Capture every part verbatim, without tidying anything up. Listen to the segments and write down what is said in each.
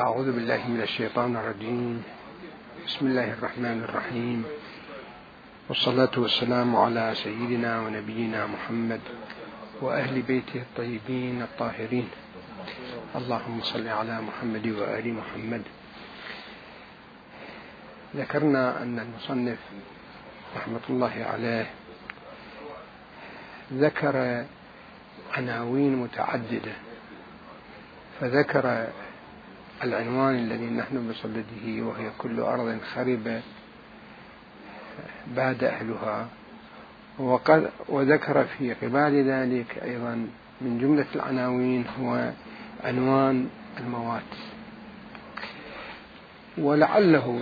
أعوذ بالله من الشيطان الرجيم. بسم الله الرحمن الرحيم، والصلاة والسلام على سيدنا ونبينا محمد وأهل بيته الطيبين الطاهرين. اللهم صل على محمد وآل محمد. ذكرنا أن المصنف رحمة الله عليه ذكر عناوين متعددة، فذكر العنوان الذي نحن بصدده وهي كل أرض خربة باد أهلها، وذكر في قبال ذلك أيضا من جملة العناوين هو عنوان الموات. ولعله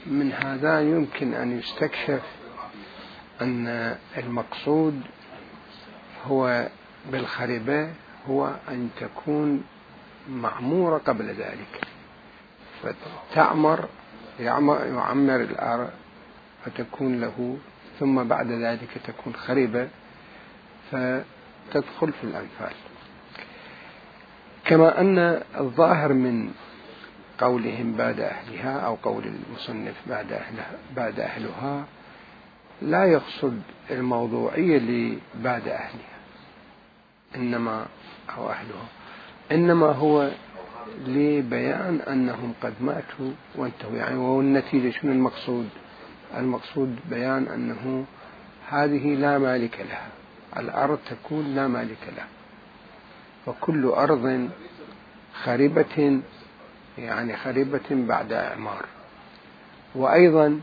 من هذا يمكن أن يستكشف أن المقصود هو بالخربة هو أن تكون معمورة قبل ذلك، فتعمر يعمر الأرض فتكون له، ثم بعد ذلك تكون خربة فتدخل في الأنفال. كما أن الظاهر من قولهم بعد أهلها أو قول المصنف بعد أهلها بعد أهلها لا يقصد الموضوعية لبعد أهلها إنما أو أهلها، إنما هو لبيان أنهم قد ماتوا وانتهوا. يعني والنتيجة شنو المقصود؟ المقصود بيان أنه هذه لا مالك لها، الأرض تكون لا مالك لها، وكل أرض خربة يعني خربة بعد إعمار، وأيضا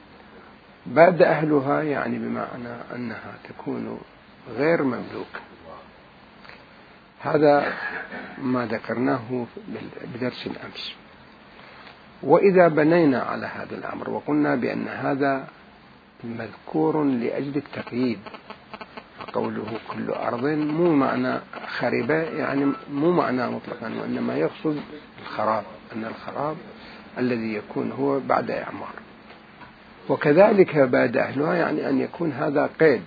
بعد أهلها يعني بمعنى أنها تكون غير مملوكة. هذا ما ذكرناه بدرس الأمس. وإذا بنينا على هذا الأمر وقلنا بأن هذا مذكور لأجل التقييد، قوله كل أرض مو معنى خربة يعني مو معنى مطلقا، وإنما يقصد الخراب، أن الخراب الذي يكون هو بعد إعمار. وكذلك بعد أهلها يعني أن يكون هذا قيد،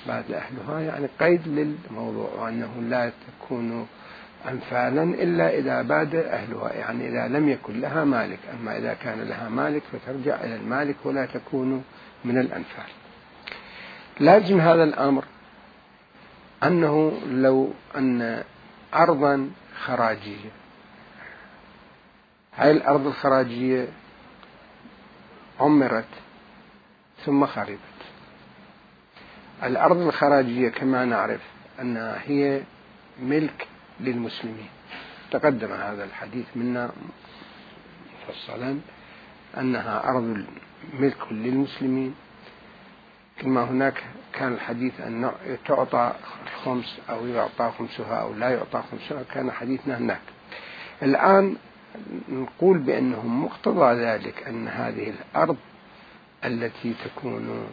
بعد أهلها يعني قيد للموضوع، وأنه لا تكون أنفالا إلا إذا باد أهلها، يعني إذا لم يكن لها مالك. أما إذا كان لها مالك فترجع إلى المالك ولا تكون من الأنفال. لازم هذا الأمر أنه لو أن أرضا خراجية، هاي الأرض الخراجية عمرت ثم خربت. الأرض الخراجية كما نعرف أنها هي ملك للمسلمين، تقدم هذا الحديث منا مفصلا أنها أرض ملك للمسلمين، كما هناك كان الحديث أن تعطى الخمس أو يعطى خمسها أو لا يعطى خمسها، كان حديثنا هناك. الآن نقول بأنه مقتضى ذلك أن هذه الأرض التي تكون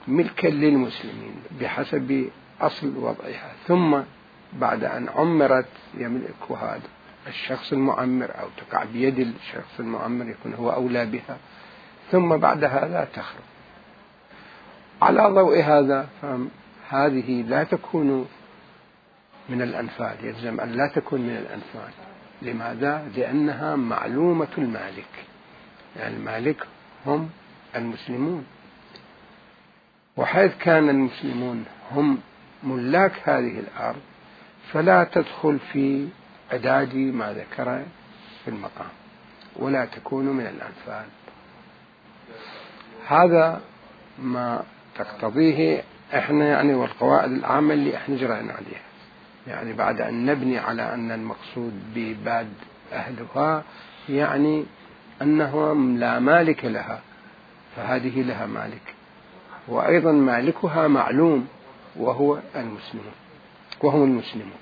ملكا للمسلمين بحسب أصل وضعها، ثم بعد أن عمرت يملكها الشخص المعمر أو تقع بيد الشخص المعمر يكون هو أولى بها، ثم بعد هذا تخرب. على ضوء هذا فهذه لا تكون من الأنفال، يلزم أن لا تكون من الأنفال. لماذا؟ لأنها معلومة المالك، يعني المالك هم المسلمون، وحيث كان المسلمون هم ملاك هذه الأرض فلا تدخل في عداد ما ذكر في المقام، ولا تكون من الأنفال. هذا ما تقتضيه احنا يعني، والقواعد العامة اللي احنا جرينا عليها، يعني بعد أن نبني على أن المقصود بباد أهلها يعني أنه لا مالك لها، فهذه لها مالك، وأيضا مالكها معلوم وهو المسلمون وهم المسلمون.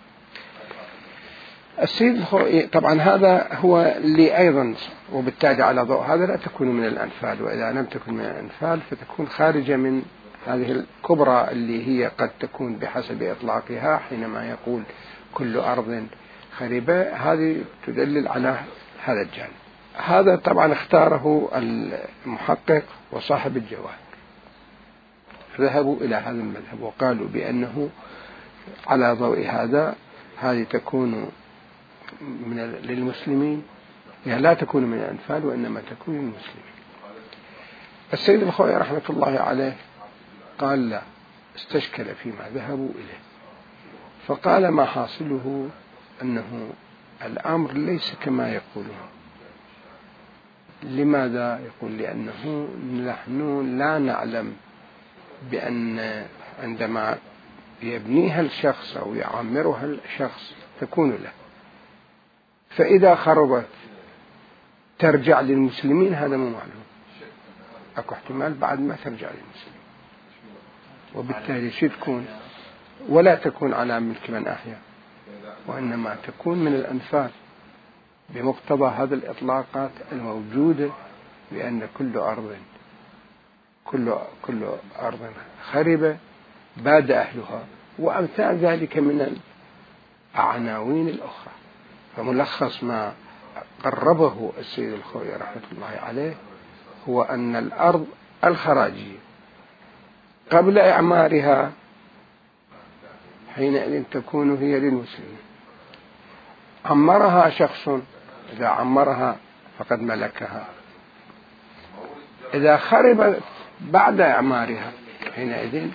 السيد طبعا هذا هو اللي أيضا، وبالتالي على ضوء هذا لا تكون من الأنفال، وإذا لم تكن من الأنفال فتكون خارجة من هذه الكبرى اللي هي قد تكون بحسب إطلاقها حينما يقول كل أرض خربة، هذه تدلل على هذا الجانب. هذا طبعا اختاره المحقق وصاحب الجواهر، ذهبوا إلى هذا المذهب وقالوا بأنه على ضوء هذا هذه تكون من للمسلمين يعني لا تكون من الأنفال وإنما تكون من المسلمين. السيد الخوئي رحمة الله عليه قال لا، استشكل فيما ذهبوا إليه، فقال ما حاصله أنه الأمر ليس كما يقولون. لماذا؟ يقول لأنه نحن لا نعلم بأن عندما يبنيها الشخص أو يعمرها الشخص تكون له، فإذا خربت ترجع للمسلمين، هذا مو معلوم، أكو احتمال بعد ما ترجع للمسلمين، وبالتالي شو تكون؟ ولا تكون على ملك من أحيا، وإنما تكون من الأنفال بمقتضى هذه الإطلاقات الموجودة، بأن كل أرض كل كل أرض خربة باد أهلها، وأمثال ذلك من العناوين الأخرى. فملخص ما قربه السيد الخوئي رحمة الله عليه هو أن الأرض الخراجية قبل إعمارها حينئذ تكون هي للمسلمين. عمرها شخص، إذا عمرها فقد ملكها. إذا خربت بعد إعمارها حينئذ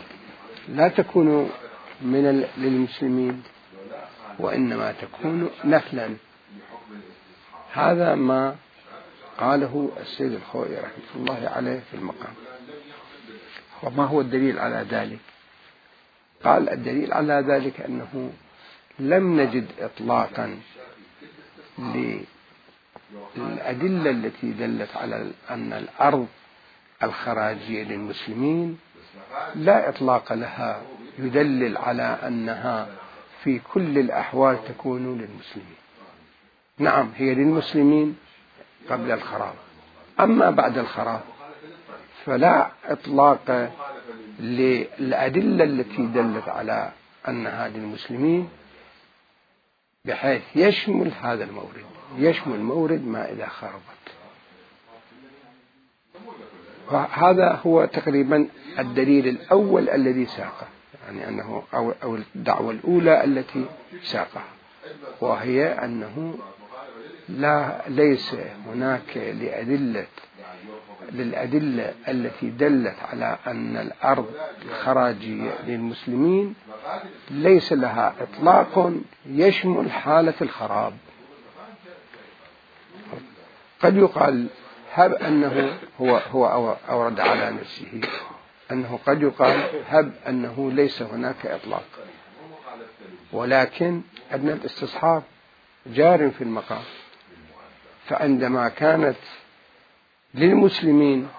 لا تكون من للمسلمين وإنما تكون نفلا. هذا ما قاله السيد الخوئي رحمة الله عليه في المقام. وما هو الدليل على ذلك؟ قال الدليل على ذلك أنه لم نجد إطلاقا للأدلة التي دلت على أن الأرض الخراجية للمسلمين، لا إطلاق لها يدلل على أنها في كل الأحوال تكون للمسلمين. نعم هي للمسلمين قبل الخراب، أما بعد الخراب فلا إطلاق للأدلة التي دلت على أنها للمسلمين بحيث يشمل هذا المورد، يشمل مورد ما إذا خربت. وهذا هو تقريبا الدليل الأول الذي ساقه، يعني أنه أو, أو الدعوة الأولى التي ساقها، وهي أنه لا ليس هناك لأدلة للأدلة التي دلت على أن الأرض الخراجية للمسلمين ليس لها إطلاق يشمل حالة الخراب. قد يقال هب أنه هو هو أورد على نفسه أنه قد يقال هب أنه ليس هناك إطلاق، ولكن أن الاستصحاب جار في المقام. فعندما كانت للمسلمين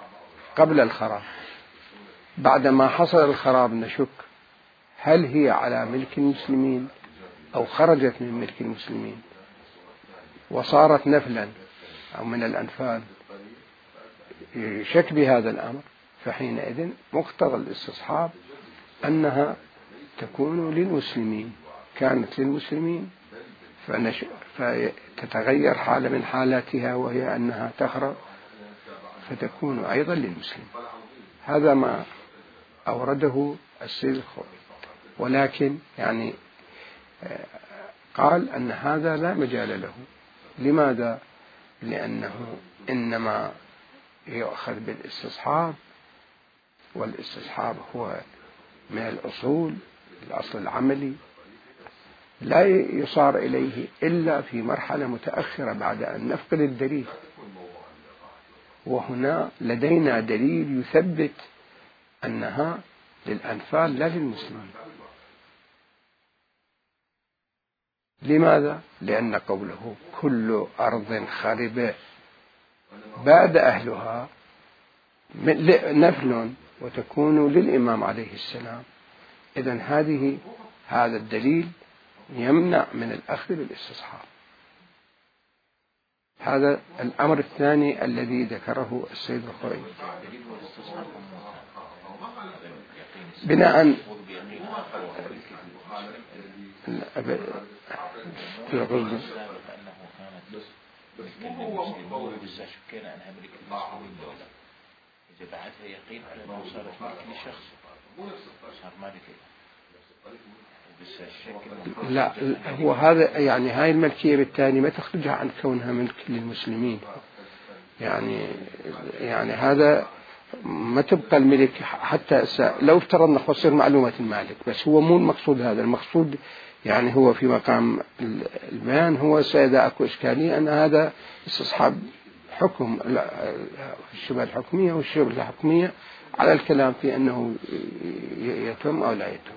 قبل الخراب، بعدما حصل الخراب نشك هل هي على ملك المسلمين أو خرجت من ملك المسلمين وصارت نفلا أو من الأنفال، يشك بهذا الأمر. فحينئذ مقتضى الاستصحاب أنها تكون للمسلمين، كانت للمسلمين فتتغير حالة من حالاتها وهي أنها تخرب فتكون أيضا للمسلم. هذا ما أورده السيد الخوئي، ولكن يعني قال أن هذا لا مجال له. لماذا؟ لأنه إنما يؤخذ بالاستصحاب، والاستصحاب هو من الأصول، الأصل العملي، لا يصار إليه إلا في مرحلة متأخرة بعد أن نفقد الدليل. وهنا لدينا دليل يثبت أنها للأنفال لا للمسلمين. لماذا؟ لأن قوله كل أرض خربة باد أهلها نفل وتكون للإمام عليه السلام. إذن هذه هذا الدليل يمنع من الأخذ بالاستصحاب. هذا الأمر الثاني الذي ذكره السيد الخوئي بناء إذا بعدها يقين على أنه صارت ملك لشخص صار مالك لا هو هذا يعني هاي الملكية بالتالي ما تخرجها عن كونها ملك للمسلمين. يعني يعني هذا ما تبقى الملك حتى لو افترضنا خسر معلومة المالك، بس هو مو المقصود هذا. المقصود يعني هو في مقام البيان هو سيدا أكو إشكالية أن هذا استصحاب حكم الشبهة الحكمية والشبهة الحكمية على الكلام في أنه يتم أو لا يتم،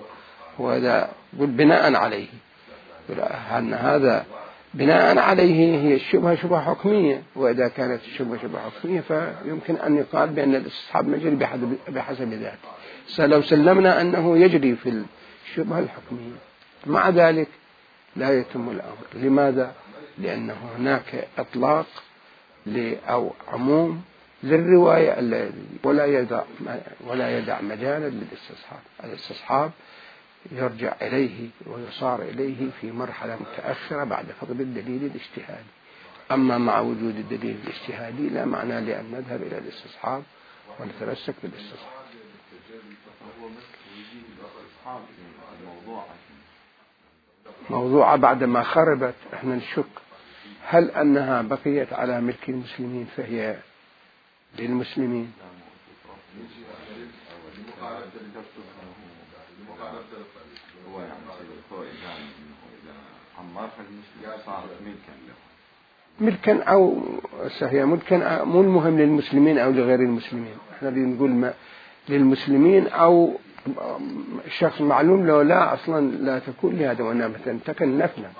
وهذا بناء عليه أن هذا بناء عليه هي الشبهة شبهة حكمية، وإذا كانت الشبهة شبهة حكمية فيمكن أن يقال بأن الاستصحاب مجري بحسب ذلك. لو سلمنا أنه يجري في الشبهة الحكمية مع ذلك لا يتم الأمر. لماذا؟ لأنه هناك إطلاق أو عموم للرواية ولا يدع ولا يدع مجالا للاستصحاب. الاستصحاب يرجع إليه ويصار إليه في مرحلة متأخرة بعد فقد الدليل الاجتهادي. أما مع وجود الدليل الاجتهادي لا معنى لأن نذهب إلى الاستصحاب ونتمسك بالاستصحاب. موضوعة بعد ما خربت احنا نشك هل أنها بقيت على ملك المسلمين فهي للمسلمين. ملكا أو هي ملكا مو المهم للمسلمين أو لغير المسلمين. احنا بنقول ما للمسلمين أو شخص معلوم لو لا أصلا لا تكون لهذا وإنما تنتقل نفلا.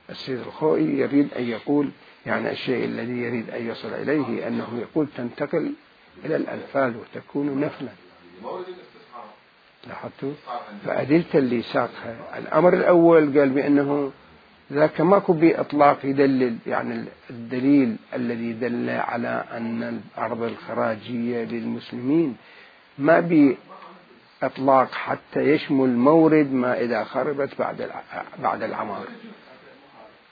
السيد الخوئي يريد أن يقول يعني الشيء الذي يريد أن يصل إليه أنه يقول تنتقل إلى الأنفال وتكون نفلا. لاحظتوا؟ فأدلة اللي ساقها الأمر الأول قال بأنه ذاك ماكو بإطلاق يدلل، يعني الدليل الذي دل على أن الأرض الخراجية للمسلمين ما بإطلاق حتى يشمل مورد ما إذا خربت بعد بعد العمار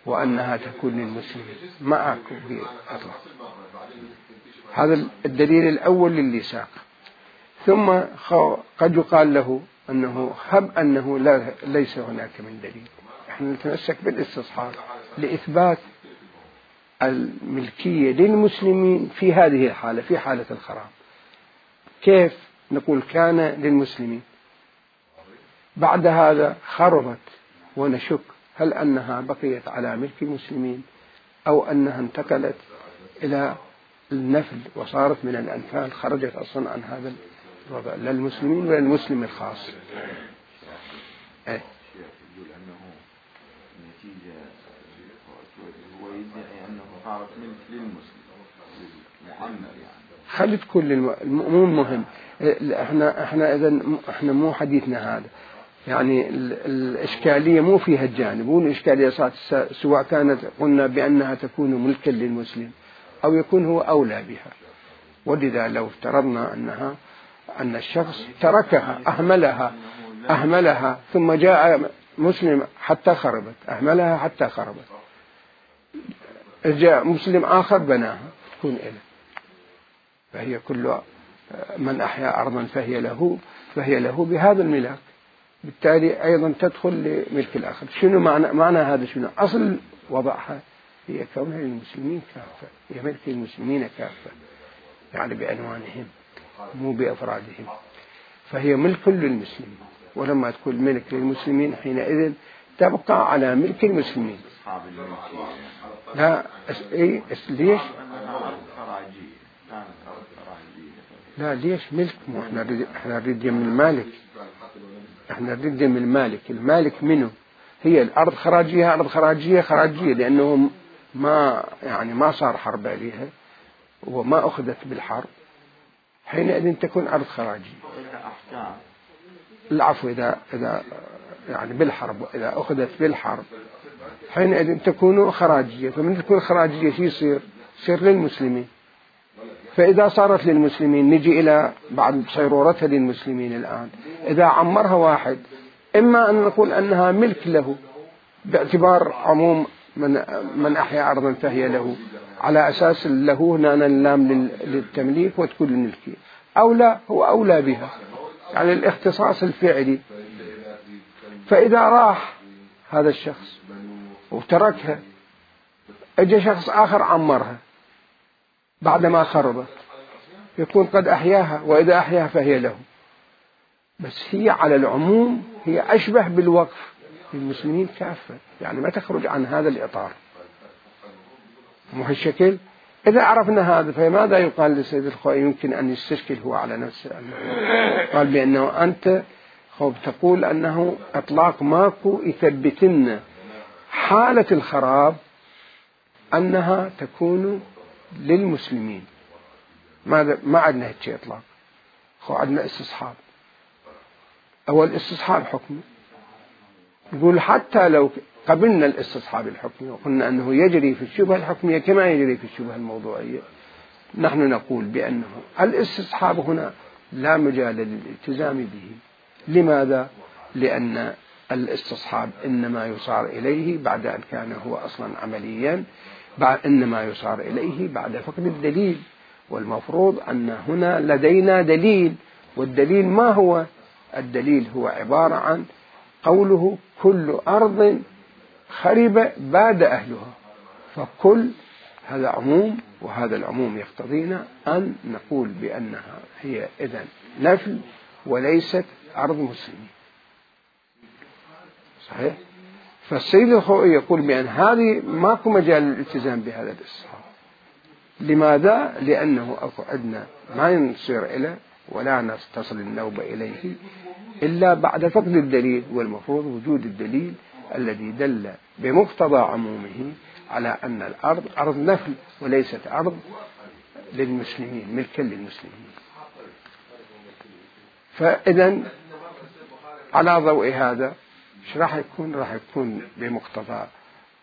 وأنها تكون للمسلمين، ما أكو بإطلاق. هذا الدليل الأول للي ساق. ثم قد يقال له أنه هب أنه لا ليس هناك من دليل، نحن نتمسك بالاستصحاب لإثبات الملكية للمسلمين في هذه الحالة، في حالة الخراب. كيف نقول كان للمسلمين بعد هذا خربت ونشك هل أنها بقيت على ملك المسلمين أو أنها انتقلت إلى النفل وصارت من الأنفال، خرجت أصلا عن هذا الوضع لا المسلمين ولا المسلم الخاص. أي. يقول أنه نتيجة هو يدعي أنه صارت ملك للمسلم للمعمر يعني. خلي تكون للمؤمن مهم. احنا احنا اذا احنا مو حديثنا هذا يعني الإشكالية مو فيها الجانب، مو الإشكالية صارت سواء كانت قلنا بأنها تكون ملكا للمسلم أو يكون هو أولى بها. ولذا لو افترضنا أنها أن الشخص تركها أهملها أهملها ثم جاء مسلم حتى خربت، أهملها حتى خربت، جاء مسلم آخر بناها تكون إله، فهي كل من أحيا أرضا فهي له فهي له بهذا الملاك، بالتالي أيضا تدخل لملك الآخر. شنو معنى معنى هذا؟ شنو أصل وضعها؟ هي كونها للمسلمين كافة، هي ملك المسلمين كافة يعني بأنوانهم مو بأفرادهم، فهي ملك للمسلمين. ولما تكون ملك للمسلمين حينئذ تبقى على ملك المسلمين. لا إيه ليش؟ لا ليش ملك؟ مو احنا نريد احنا نريد من المالك، احنا نريد من المالك. المالك منه؟ هي الأرض خراجية، أرض خراجية خراجية لأنهم ما يعني ما صار حرب عليها وما أخذت بالحرب، حينئذ تكون أرض خراجية. العفو إذا إذا يعني بالحرب، إذا أخذت بالحرب حينئذ تكون خراجية. فمن تكون خراجية شو يصير؟ يصير للمسلمين. فإذا صارت للمسلمين نجي إلى بعد صيرورتها للمسلمين الآن، إذا عمرها واحد إما أن نقول أنها ملك له باعتبار عموم من من أحيا أرضا فهي له، على أساس له هنا اللام للتمليك وتكون الملكية، أو لا هو أولى بها يعني الاختصاص الفعلي. فإذا راح هذا الشخص وتركها، اجى شخص آخر عمرها بعدما خربت، يكون قد أحياها، وإذا أحياها فهي له. بس هي على العموم هي أشبه بالوقف للمسلمين كافة، يعني ما تخرج عن هذا الإطار، مو هالشكل. إذا عرفنا هذا فماذا يقال للسيد الخوئي؟ يمكن أن يستشكل هو على نفسه، قال بأنه أنت خوب تقول أنه إطلاق ماكو يثبتنا حالة الخراب أنها تكون للمسلمين. ماذا؟ ما عندنا هيك إطلاق، خو عندنا استصحاب. أول استصحاب حكمي، نقول حتى لو قبلنا الاستصحاب الحكمي وقلنا أنه يجري في الشبهة الحكمية كما يجري في الشبهة الموضوعية، نحن نقول بأنه الاستصحاب هنا لا مجال للالتزام به. لماذا؟ لأن الاستصحاب إنما يصار إليه بعد أن كان هو أصلا عمليا، إنما يصار إليه بعد فقد الدليل، والمفروض أن هنا لدينا دليل. والدليل ما هو؟ الدليل هو عبارة عن قوله كل أرض خرب باد أهلها، فكل هذا عموم، وهذا العموم يقتضينا أن نقول بأنها هي إذن نفل وليست أرض مسلمين. صحيح؟ فالسيد الخوئي يقول بأن هذه ماكو مجال للالتزام بهذا الاستصحاب. لماذا؟ لأنه أكو عندنا ما نصير إليه ولا تصل النوبة إليه إلا بعد فقد الدليل، والمفروض وجود الدليل الذي دل بمقتضى عمومه على أن الأرض أرض نفل وليست أرض للمسلمين، ملكا للمسلمين. فإذا على ضوء هذا ايش راح يكون؟ راح يكون بمقتضى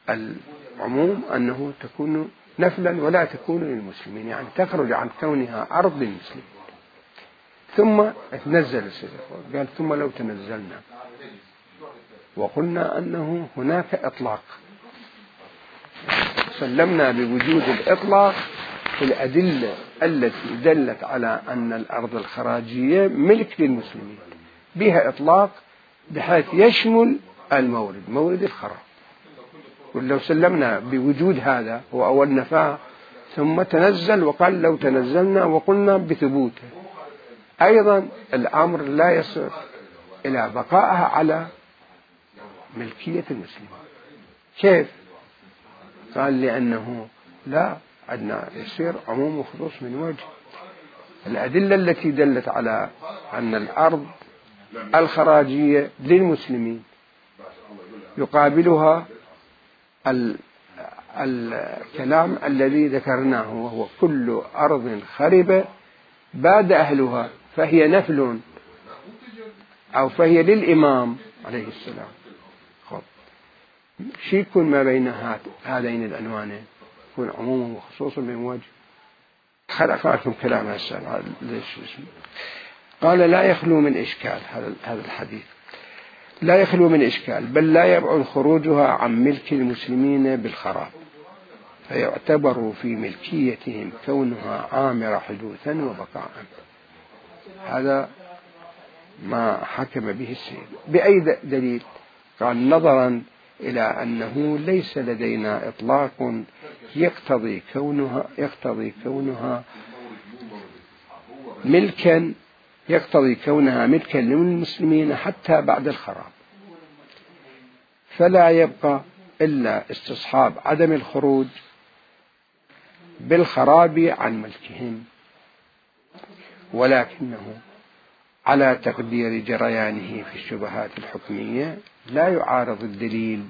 العموم أنه تكون نفلا ولا تكون للمسلمين، يعني تخرج عن كونها أرض للمسلمين. ثم تنزل السيد قال ثم لو تنزلنا وقلنا أنه هناك إطلاق، سلمنا بوجود الإطلاق في الأدلة التي دلت على أن الأرض الخراجية ملك للمسلمين، بها إطلاق بحيث يشمل المورد، مورد الخراب. ولو سلمنا بوجود هذا هو أول نفاه، ثم تنزل وقال لو تنزلنا وقلنا بثبوته، أيضا الأمر لا يصل إلى بقائها على ملكية المسلمين. كيف؟ قال لأنه لا عندنا يصير عموم وخصوص من وجه. الأدلة التي دلت على أن الأرض الخراجية للمسلمين يقابلها الكلام الذي ذكرناه، وهو كل أرض خرب باد أهلها فهي نفل أو فهي للإمام عليه السلام. خب شي يكون ما بين هذين العنوانين؟ يكون عموم وخصوص من وجه. خلق لكم كلام هسه ليش اسمه. قال لا يخلو من إشكال هذا الحديث، لا يخلو من إشكال، بل لا يبعد خروجها عن ملك المسلمين بالخراب، فيعتبر في ملكيتهم كونها عامرة حدوثا وبقاء. هذا ما حكم به السيد. بأي دليل؟ قال نظرا إلى أنه ليس لدينا إطلاق يقتضي كونها يقتضي كونها ملكا يقتضي كونها ملكا للمسلمين حتى بعد الخراب، فلا يبقى إلا استصحاب عدم الخروج بالخراب عن ملكهم، ولكنه على تقدير جريانه في الشبهات الحكمية لا يعارض الدليل،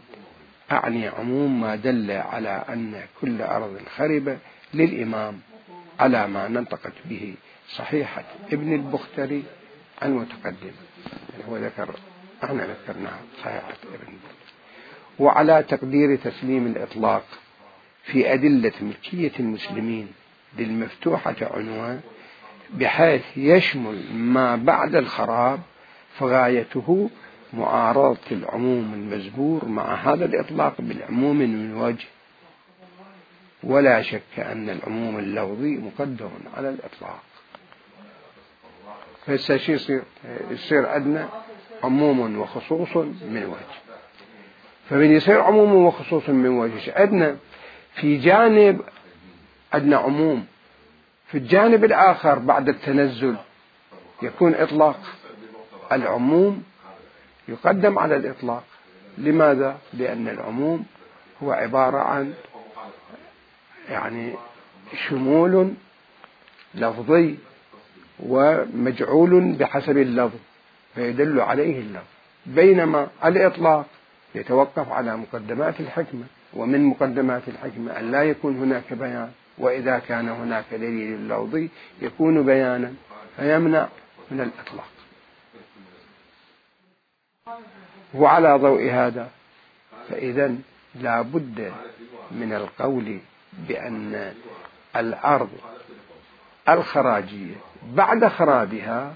أعني عموم ما دل على أن كل أرض خربة للإمام على ما ننطقت به صحيحة ابن البختري المتقدم، هو ذكر احنا ذكرناها صحيحة ابن البختري، وعلى تقدير تسليم الإطلاق في أدلة ملكية المسلمين للمفتوحة عنوان بحيث يشمل ما بعد الخراب، فغايته معارضة العموم المزبور مع هذا الإطلاق بالعموم من وجه، ولا شك أن العموم اللفظي مقدم على الإطلاق. فهسه شو يصير؟ يصير عندنا عموم وخصوص من وجه. فمن يصير عموم وخصوص من وجه، عندنا في جانب عندنا عموم، في الجانب الآخر بعد التنزل يكون إطلاق. العموم يقدم على الإطلاق. لماذا؟ لأن العموم هو عبارة عن يعني شمول لفظي ومجعول بحسب اللفظ فيدل عليه اللفظ، بينما الإطلاق يتوقف على مقدمات الحكمة، ومن مقدمات الحكمة أن لا يكون هناك بيان، وإذا كان هناك دليل لفظي يكون بيانا فيمنع من الإطلاق. وعلى ضوء هذا فإذا لا بد من القول بأن الأرض الخراجية بعد خرابها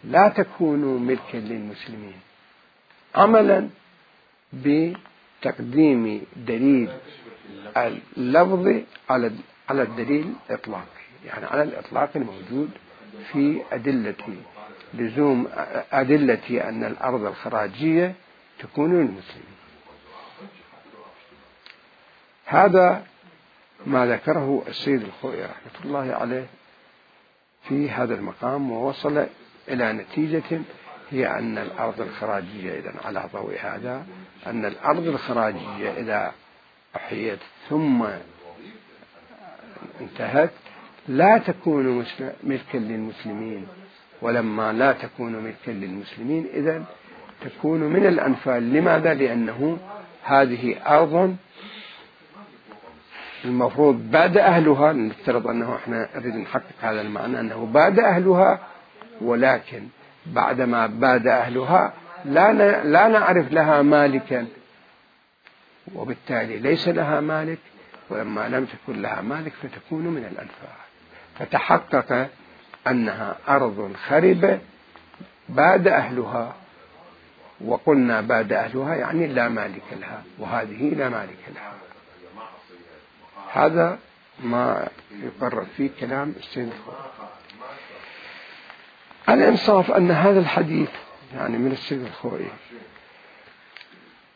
لا تكون ملكا للمسلمين، عملا بتقديم دليل اللفظ على على الدليل الإطلاقي، يعني على الإطلاق الموجود في أدلة لزوم أدلة أن الأرض الخراجية تكون للمسلمين. هذا ما ذكره السيد الخوئي رحمة الله عليه في هذا المقام، ووصل إلى نتيجة هي أن الأرض الخراجية إذن على ضوء هذا أن الأرض الخراجية إذا أحيت ثم انتهت لا تكون ملكا للمسلمين، ولما لا تكون ملكا للمسلمين إذن تكون من الأنفال. لماذا؟ لأنه هذه أرض المفروض بعد أهلها، نفترض أنه إحنا نريد نحقق هذا المعنى أنه بعد أهلها، ولكن بعدما بعد أهلها لا لا نعرف لها مالكا، وبالتالي ليس لها مالك، ولما لم تكن لها مالك فتكون من الأنفال، فتحقق أنها أرض خربة بعد أهلها، وقلنا بعد أهلها يعني لا مالك لها، وهذه لا مالك لها. هذا ما يقرر فيه كلام السيد الخوئي. الإنصاف أن هذا الحديث يعني من السيد الخوئي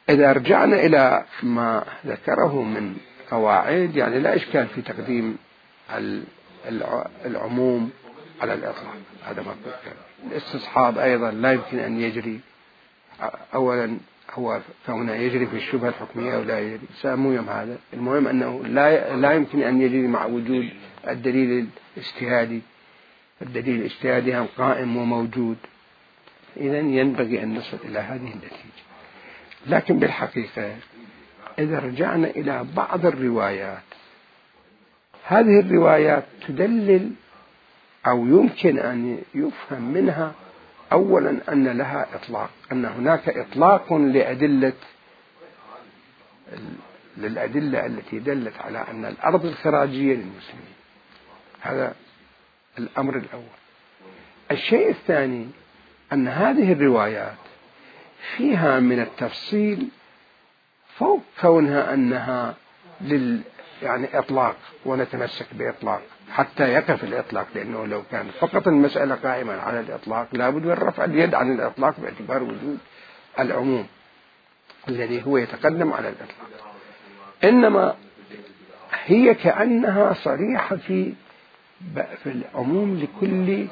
إذا رجعنا إلى ما ذكره من قواعد، يعني لا إشكال في تقديم العموم على الإطلاق، هذا ما ذكر. الاستصحاب أيضا لا يمكن أن يجري، أولا هو كونه يجري في الشبهة الحكمية ولا يجري سامويم، هذا المهم أنه لا لا يمكن أن يجري مع وجود الدليل الاجتهادي. الدليل الاجتهادي هم قائم وموجود، إذن ينبغي أن نصل إلى هذه النتيجة. لكن بالحقيقة إذا رجعنا إلى بعض الروايات، هذه الروايات تدلل أو يمكن أن يفهم منها أولا أن لها إطلاق، أن هناك إطلاق لأدلة للأدلة التي دلت على أن الأرض الخراجية للمسلمين. هذا الأمر الأول. الشيء الثاني أن هذه الروايات فيها من التفصيل فوق كونها أنها لل يعني إطلاق ونتمسك بإطلاق حتى يقف الإطلاق، لأنه لو كان فقط المسألة قائمة على الإطلاق لابد من رفع اليد عن الإطلاق باعتبار وجود العموم الذي هو يتقدم على الإطلاق. إنما هي كأنها صريحة في في العموم لكل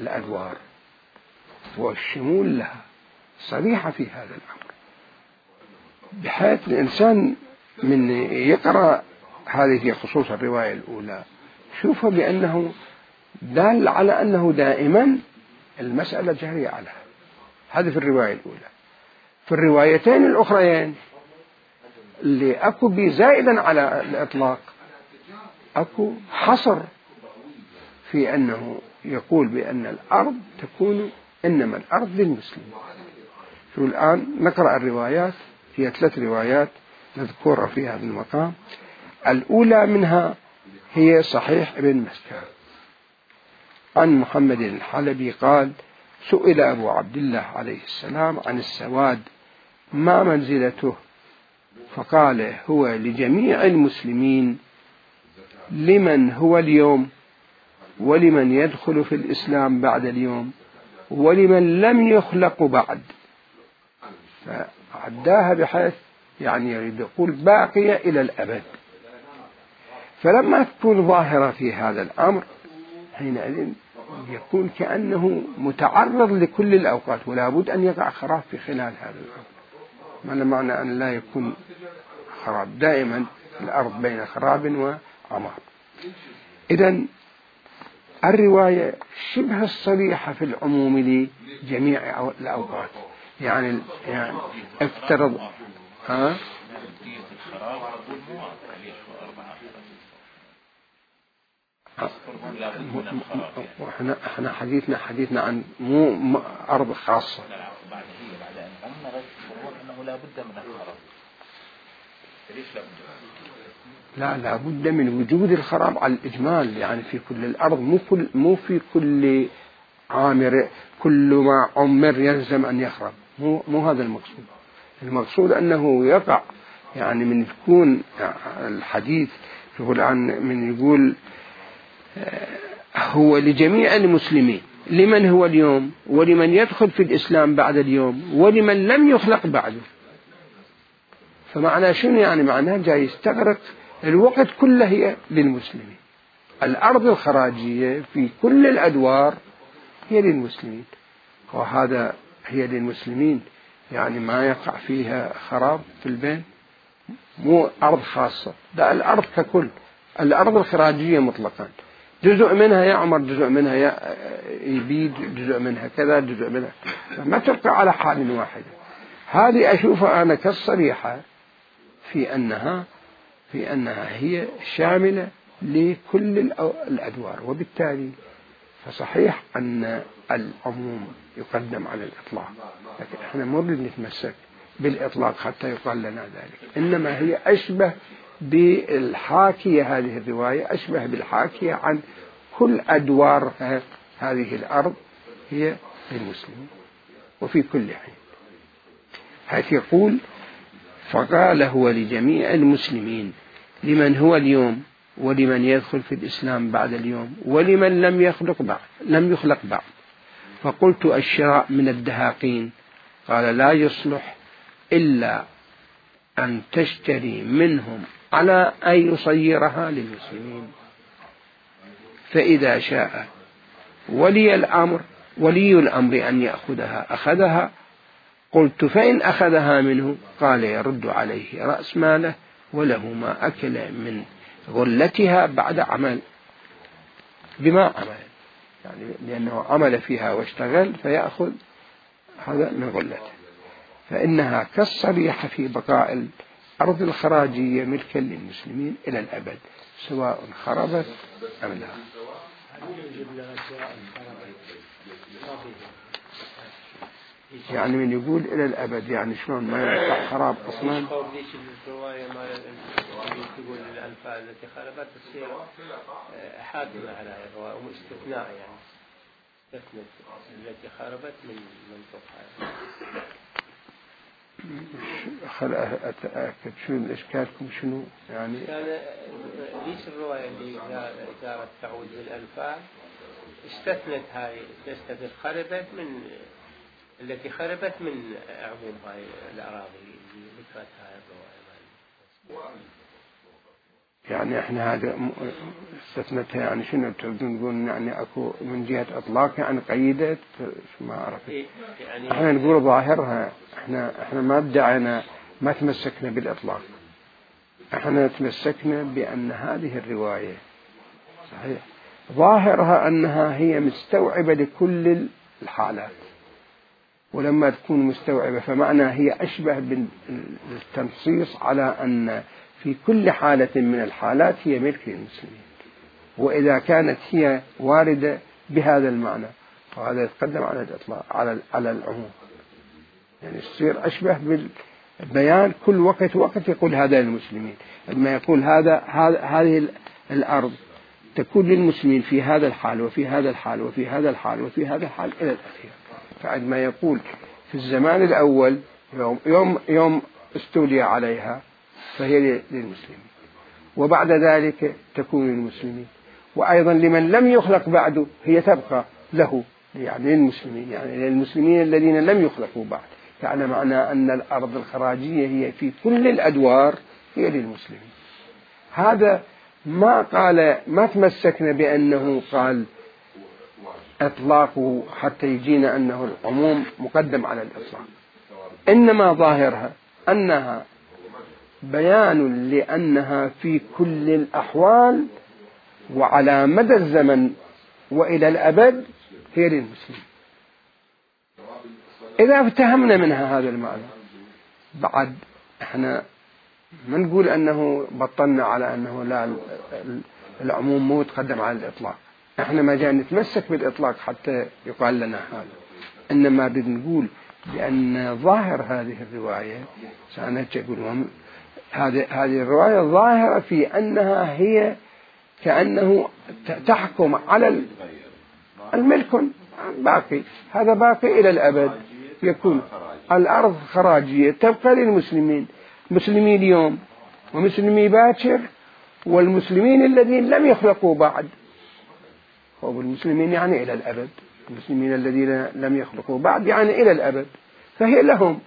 الأدوار والشمول لها، صريحة في هذا الأمر، بحيث الإنسان من يقرأ هذه خصوص الرواية الأولى شوفها بأنه دال على أنه دائما المسألة جارية عليها. هذه في الرواية الأولى. في الروايتين الأخريين اللي أكو بي زائدا على الإطلاق أكو حصر في أنه يقول بأن الأرض تكون إنما الأرض للمسلمين. شو الآن نقرأ الروايات، هي ثلاث روايات نذكرها في هذا المقام. الأولى منها هي صحيح ابن مسكان عن محمد الحلبي قال: سئل أبو عبد الله عليه السلام عن السواد ما منزلته، فقال: هو لجميع المسلمين، لمن هو اليوم ولمن يدخل في الإسلام بعد اليوم ولمن لم يخلق بعد، فعداها بحيث يعني يريد يقول باقية إلى الأبد. فلما تكون ظاهرة في هذا الأمر حينئذ يكون كأنه متعرض لكل الأوقات، ولا بد أن يقع خراب في خلال هذا الأمر. ما معنى أن لا يكون خراب؟ دائما الأرض بين خراب وعمار. إذن الرواية شبه الصريحة في العموم لجميع الأوقات. يعني يعني افترض ها احنا احنا حديثنا حديثنا عن مو أرض خاصة. لا لا بد من وجود الخراب على الإجمال، يعني في كل الأرض، مو كل مو في كل عامر كل ما عمر يلزم أن يخرب، مو مو هذا المقصود. المقصود أنه يقع، يعني من يكون الحديث يقول عن من يقول هو لجميع المسلمين، لمن هو اليوم ولمن يدخل في الإسلام بعد اليوم ولمن لم يخلق بعده. فمعنى شنو؟ يعني معناه جاي يستغرق الوقت كله هي للمسلمين. الأرض الخراجية في كل الأدوار هي للمسلمين، وهذا هي للمسلمين يعني ما يقع فيها خراب في البين، مو أرض خاصة، لا الأرض ككل، الأرض الخراجية مطلقا، جزء منها يعمر، جزء منها يبيد، جزء منها كذا، جزء منها ما تبقى على حال واحدة. هذه أشوفها أنا كالصريحة في أنها في أنها هي شاملة لكل الأدوار، وبالتالي فصحيح أن العموم يقدم على الإطلاق، لكن احنا ما نريد نتمسك بالإطلاق حتى يقال لنا ذلك، إنما هي أشبه بالحاكية، هذه الرواية أشبه بالحاكية عن كل أدوار هذه الأرض هي للمسلمين وفي كل حين، حيث يقول فقال هو لجميع المسلمين لمن هو اليوم ولمن يدخل في الإسلام بعد اليوم ولمن لم يخلق بعد لم يخلق بعد. فقلت الشراء من الدهاقين، قال لا يصلح إلا أن تشتري منهم على أن يصيرها للمسلمين، فإذا شاء ولي الأمر ولي الأمر أن يأخذها أخذها. قلت فإن أخذها منه؟ قال يرد عليه رأس ماله وله ما أكل من غلتها بعد عمل، بما عمل، يعني لأنه عمل فيها واشتغل فيأخذ هذا من غلته. فإنها كالصريحة في بقاء الأرض الخراجية ملكا للمسلمين إلى الأبد سواء خربت أم لا. يعني من يقول إلى الأبد يعني شلون ما يقع خراب أصلا؟ ليش الرواية ما تقول الأنفال التي خربت تصير حاكمة على الرواية واستثناء، يعني استثنت التي خربت من منطقها. خل أتأكد شو إشكالكم شنو يعني؟ كان ليش الرواية اللي جارت تعود للأنفال استثنت هاي استثنت خربت من التي خربت من عموم هاي الأراضي اللي ذكرتها الرواية. يعني احنا هذا استثنتها يعني شنو تريدون تقول؟ يعني اكو من جهة اطلاقها يعني قيدت ما اعرف. يعني احنا نقول ظاهرها، احنا احنا ما ادعينا ما تمسكنا بالاطلاق، احنا تمسكنا بان هذه الرواية صحيح ظاهرها انها هي مستوعبة لكل الحالات، ولما تكون مستوعبة فمعنى هي أشبه بالتنصيص على أن في كل حالة من الحالات هي ملك للمسلمين، وإذا كانت هي واردة بهذا المعنى فهذا يتقدم على الإطلاق على على العموم، يعني يصير أشبه بالبيان كل وقت وقت يقول هذا للمسلمين، لما يقول هذا هذه الأرض تكون للمسلمين في هذا الحال وفي هذا الحال وفي هذا الحال وفي هذا الحال إلى الأخير. فعندما يقول في الزمان الأول يوم يوم يوم استولي عليها فهي للمسلمين، وبعد ذلك تكون للمسلمين، وأيضا لمن لم يخلق بعده هي تبقى له يعني للمسلمين، يعني للمسلمين الذين لم يخلقوا بعد، يعني معنى أن الأرض الخراجية هي في كل الأدوار هي للمسلمين. هذا ما قال، ما تمسكنا بأنه قال إطلاقه حتى يجينا أنه العموم مقدم على الإطلاق، إنما ظاهرها أنها بيان لأنها في كل الأحوال وعلى مدى الزمن وإلى الأبد هي للمسلمين. إذا افتهمنا منها هذا المعنى بعد احنا ما نقول أنه بطلنا على أنه لا العموم مو تقدم على الإطلاق، احنا ما جاء نتمسك بالإطلاق حتى يقال لنا هذا، إنما بنقول بأن ظاهر هذه الرواية سأنتج أقول هذه هذه الرواية ظاهرة في أنها هي كأنه تحكم على الملك باقي، هذا باقي إلى الأبد، يكون الأرض خراجية تبقى للمسلمين، مسلمي اليوم ومسلمي باكر والمسلمين الذين لم يخلقوا بعد، والمسلمين يعني إلى الأبد، المسلمين الذين لم يخلقوا بعد يعني إلى الأبد، فهي لهم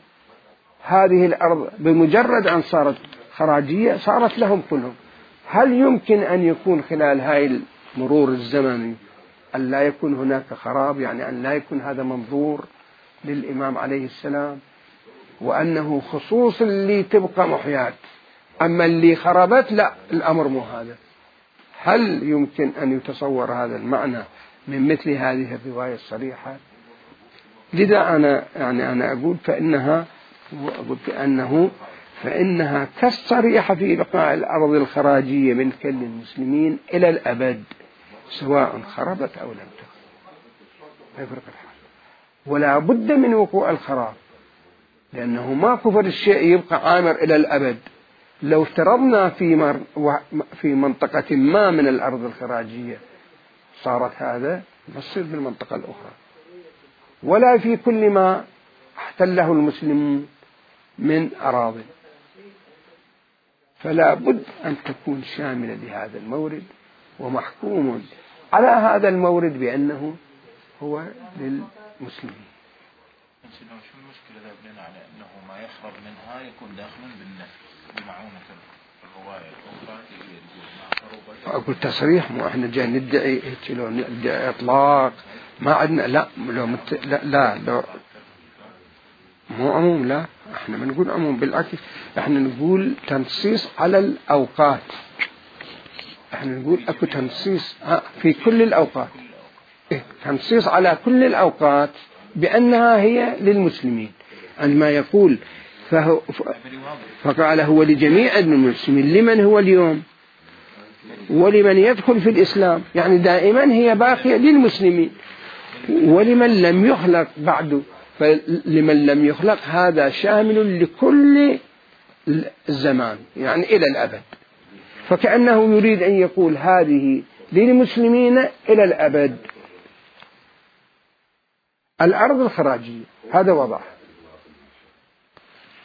هذه الأرض بمجرد أن صارت خراجية صارت لهم كلهم. هل يمكن أن يكون خلال هاي المرور الزمني أن لا يكون هناك خراب، يعني أن لا يكون هذا منظور للإمام عليه السلام، وأنه خصوص اللي تبقى محيات، أما اللي خربت لا الأمر مو هذا؟ هل يمكن أن يتصور هذا المعنى من مثل هذه الرواية الصريحة؟ لذا أنا يعني أنا أقول فإنها قلت أنه فإنها كالصريحة في بقاء الأرض الخراجية ملكا للمسلمين إلى الأبد سواء خربت أو لم تخرب، لا يفرق الحال، ولا بد من وقوع الخراب، لأنه ما كفر الشيء يبقى عامر إلى الأبد. لو افترضنا في مر في منطقة ما من الأرض الخراجية صارت هذا تصير بالمنطقة الأخرى، ولا في كل ما احتله المسلمون من أراضي، فلا بد أن تكون شاملة لهذا المورد ومحكوم على هذا المورد بأنه هو للمسلمين. شو المشكلة إذا بنينا على أنه ما يخرج منها يكون داخلا بالنفس بمعونة الرواية الأخرى؟ أقول تصريح، مو إحنا جاي ندعي لو ندعي إطلاق ما عندنا، لا لو مت... لا لا لو مو عموم، لا إحنا ما نقول عموم، بالعكس إحنا نقول تنصيص على الأوقات، إحنا نقول أكو تنصيص في كل الأوقات، إيه تنصيص على كل الأوقات بأنها هي للمسلمين. عندما يقول فهو فقال هو لجميع المسلمين، لمن هو اليوم ولمن يدخل في الإسلام، يعني دائما هي باقية للمسلمين، ولمن لم يخلق بعد، فلمن لم يخلق هذا شامل لكل الزمان يعني إلى الأبد، فكأنه يريد أن يقول هذه للمسلمين إلى الأبد. الأرض الخراجية هذا وضع،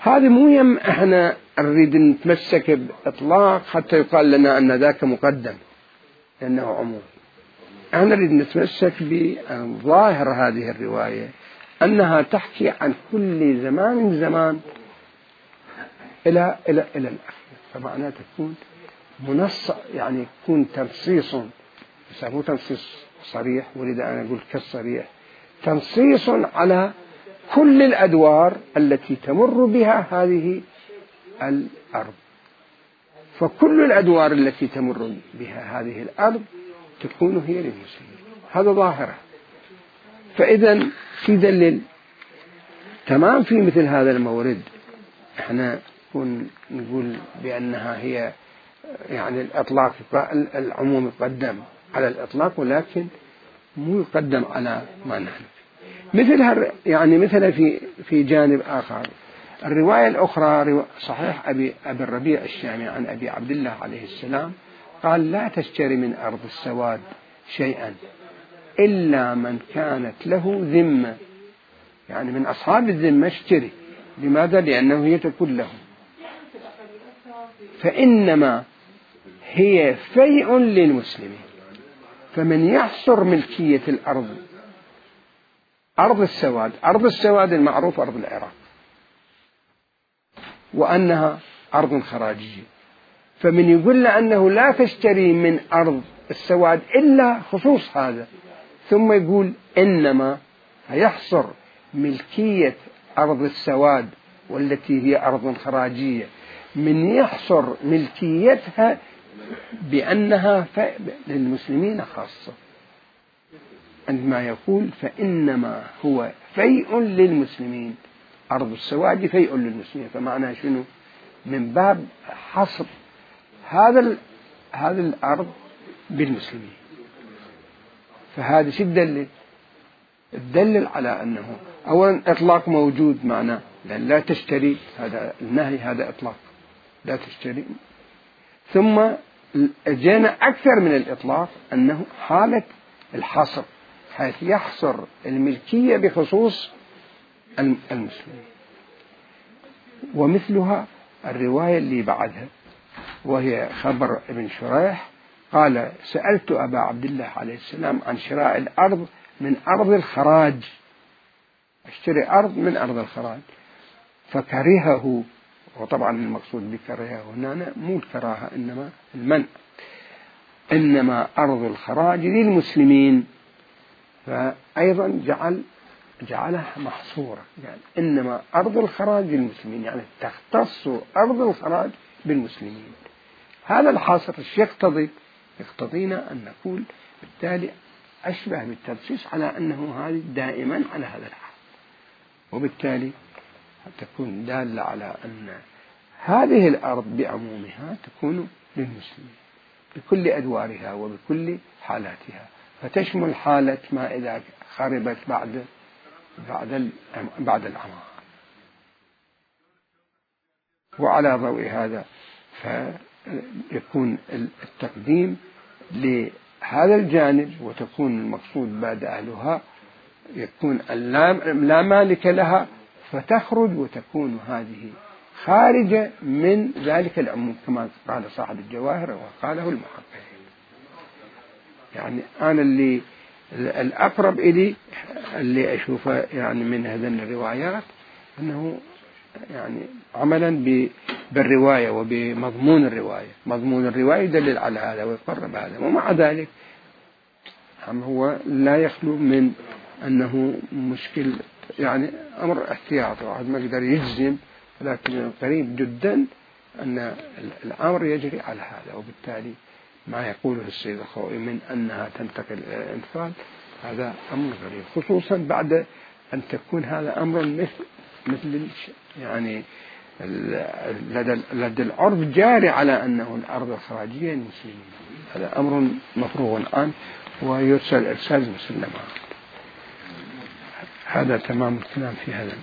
هذا مو يم احنا نريد نتمسك بإطلاق حتى يقال لنا أن ذاك مقدم لأنه عموم، احنا نريد نتمسك بظاهر هذه الرواية أنها تحكي عن كل زمان زمان إلى إلى إلى الآخر، فمعناه تكون منص يعني يكون تنصيص، بس مو تنصيص صريح، ولذا أنا أقول كالصريح، تنصيص على كل الأدوار التي تمر بها هذه الأرض، فكل الأدوار التي تمر بها هذه الأرض تكون هي للمسلمين، هذا ظاهرة. فإذا في دليل تمام في مثل هذا المورد احنا نقول بأنها هي يعني الإطلاق، العموم يقدم على الإطلاق ولكن مو يقدم على ما نحن مثلها، يعني مثل في في جانب آخر الرواية الأخرى صحيح أبي أبي الربيع الشامي عن أبي عبد الله عليه السلام قال لا تشتري من أرض السواد شيئا إلا من كانت له ذمة، يعني من أصحاب الذمة اشتري، لماذا؟ لأنه هي تكون له، فإنما هي فيء للمسلمين، فمن يحصر ملكية الأرض أرض السواد، أرض السواد المعروف أرض العراق، وأنها أرض خراجية. فمن يقول له أنه لا تشتري من أرض السواد إلا خصوص هذا، ثم يقول إنما يحصر ملكية أرض السواد والتي هي أرض خراجية، من يحصر ملكيتها بأنها للمسلمين خاصة، عندما يقول فإنما هو فيء للمسلمين، أرض السواد فيء للمسلمين، فمعنى شنو؟ من باب حصر هذا هذه الأرض بالمسلمين. فهذا شو الدليل؟ الدليل على أنه أولا إطلاق موجود، معناه لأن لا تشتري، هذا النهي هذا إطلاق لا تشتري. ثم جاءنا أكثر من الإطلاق أنه حالة الحصر، حيث يحصر الملكية بخصوص المسلمين. ومثلها الرواية اللي بعدها، وهي خبر ابن شريح قال سألت أبا عبد الله عليه السلام عن شراء الأرض من أرض الخراج، اشتري أرض من أرض الخراج، فكرهه. وطبعا المقصود بكرهه هنا مو الكراهة إنما المنع، إنما أرض الخراج للمسلمين. فأيضا جعل جعلها محصورة، يعني إنما أرض الخراج للمسلمين، يعني تختص أرض الخراج بالمسلمين. هذا الحاصر الشيء يقتضي يقتضينا أن نقول بالتالي أشبه بالترسيس على أنه هذه دائما على هذا الحال، وبالتالي تكون دالة على أن هذه الأرض بعمومها تكون للمسلمين بكل أدوارها وبكل حالاتها، فتشمل حالة ما إذا خربت بعد بعد بعد العمار. وعلى ضوء هذا فيكون التقديم لهذا الجانب، وتكون المقصود بعد أهلها يكون لا مالك لها، فتخرج وتكون هذه خارجة من ذلك العموم كما قال صاحب الجواهر وقاله المحققين. يعني أنا اللي الأقرب إلي اللي أشوفه يعني من هذين الروايات أنه يعني عملا بالرواية وبمضمون الرواية، مضمون الرواية يدلل على هذا ويقرب هذا، ومع ذلك هو لا يخلو من أنه مشكل، يعني أمر احتياطي، واحد ما يقدر يجزم، لكن قريب جدا أن الأمر يجري على هذا. وبالتالي ما يقوله السيد الخوئي من أنها تنتقل إلى الانفال هذا أمر غريب، خصوصا بعد أن تكون هذا أمر مثل مثل يعني لدى لدى العرف جاري على أنه الأرض الخراجية للمسلمين. هذا أمر مفروغ عنه ويرسل إرسال مسلما. هذا تمام الكلام في هذا.